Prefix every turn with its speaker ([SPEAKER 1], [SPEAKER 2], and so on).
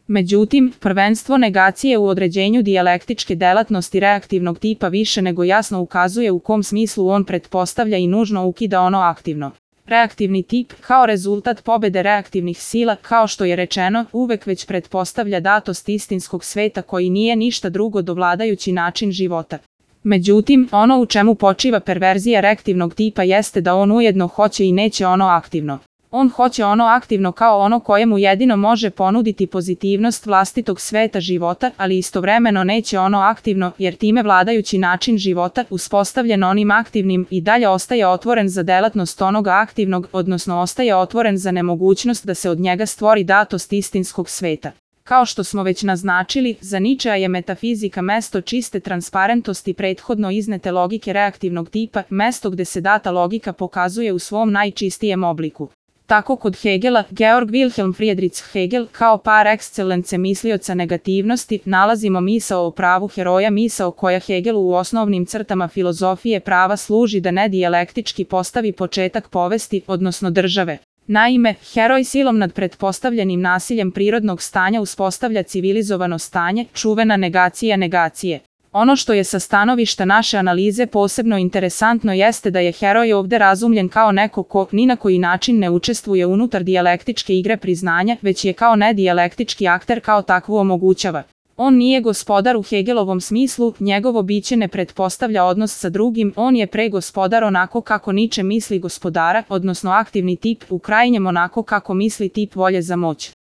[SPEAKER 1] Međutim, prvenstvo negacije u određenju dijalektičke delatnosti reaktivnog tipa više nego jasno ukazuje u kom smislu on pretpostavlja i nužno ukida ono aktivno. Reaktivni tip, kao rezultat pobede reaktivnih sila, kao što je rečeno, uvek već pretpostavlja datost istinskog sveta koji nije ništa drugo do vladajući način života. Međutim, ono u čemu počiva perverzija reaktivnog tipa jeste da on ujedno hoće i neće ono aktivno. On hoće ono aktivno kao ono kojemu jedino može ponuditi pozitivnost vlastitog sveta života, ali istovremeno neće ono aktivno, jer time vladajući način života, uspostavljen onim aktivnim, i dalje ostaje otvoren za delatnost onoga aktivnog, odnosno ostaje otvoren za nemogućnost da se od njega stvori datost istinskog sveta. Kao što smo već naznačili, za Ničea je metafizika mesto čiste transparentnosti prethodno iznete logike reaktivnog tipa, mesto gde se data logika pokazuje u svom najčistijem obliku. Tako kod Hegela, Georg Wilhelm Friedrich Hegel, kao par excellence mislioca negativnosti, nalazimo misao o pravu heroja, misao koja Hegelu u osnovnim crtama filozofije prava služi da nedijalektički postavi početak povesti, odnosno države. Naime, heroj silom nad pretpostavljenim nasiljem prirodnog stanja uspostavlja civilizovano stanje, čuvena negacija negacije. Ono što je sa stanovišta naše analize posebno interesantno jeste da je heroj ovde razumljen kao neko ko ni na koji način ne učestvuje unutar dijalektičke igre priznanja, već je kao nedijalektički akter kao takvu omogućava. On nije gospodar u Hegelovom smislu, njegovo biće ne pretpostavlja odnos sa drugim, on je pre gospodar onako kako Niče misli gospodara, odnosno aktivni tip, u krajnjem onako kako misli tip volje za moć.